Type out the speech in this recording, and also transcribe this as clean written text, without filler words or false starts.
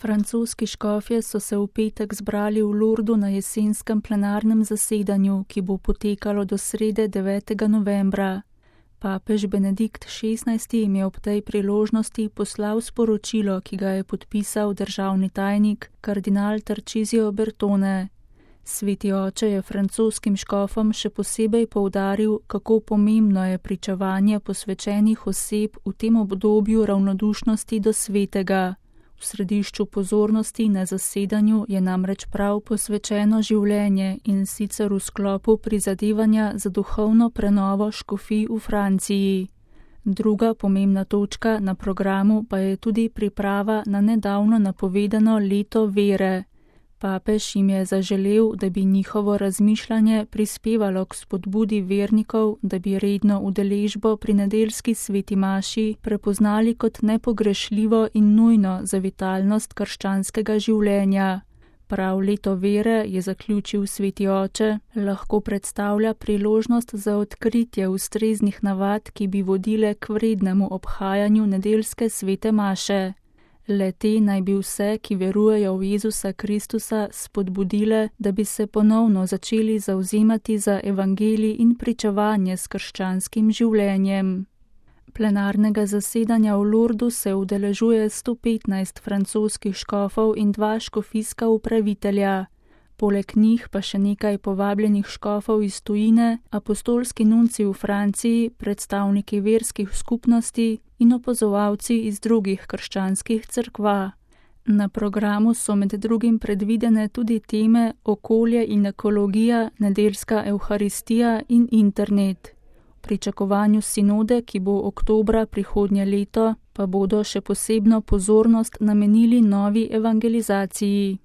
Francoski škofje so se v petek zbrali v Lourdu na jesenskem plenarnem zasedanju, ki bo potekalo do srede 9. novembra. Papež Benedikt XVI jim je ob tej priložnosti poslal sporočilo, ki ga je podpisal državni tajnik kardinal Tarcisio Bertone. Sveti oče je francoskim škofom še posebej poudaril, kako pomembno je pričevanje posvečenih oseb v tem obdobju ravnodušnosti do svetega. V središču pozornosti na zasedanju je namreč prav posvečeno življenje in sicer v sklopu prizadevanja za duhovno prenovo škofij v Franciji. Druga pomembna točka na programu pa je tudi priprava na nedavno napovedano leto vere. Papež jim je zaželel, da bi njihovo razmišljanje prispevalo k spodbudi vernikov, da bi redno udeležbo pri nedeljski sveti maši prepoznali kot nepogrešljivo in nujno za vitalnost krščanskega življenja. Prav leto vere, je zaključil sveti oče, lahko predstavlja priložnost za odkritje ustreznih navad, ki bi vodile k vrednemu obhajanju nedeljske svete maše. Le-te naj bi vse, ki verujejo v Jezusa Kristusa, spodbudile, da bi se ponovno začeli zavzemati za evangelij in pričevanje s krščanskim življenjem. Plenarnega zasedanja v Lourdu se udeležuje 115 francoskih škofov in 2 škofijska upravitelja. Poleg njih pa še nekaj povabljenih škofov iz tujine, apostolski nunci v Franciji, predstavniki verskih skupnosti in opazovalci iz drugih krščanskih cerkva. Na programu so med drugim predvidene tudi teme okolje in ekologija, nedeljska evharistija in internet. V pričakovanju sinode, ki bo oktobra prihodnje leto, pa bodo še posebno pozornost namenili novi evangelizaciji.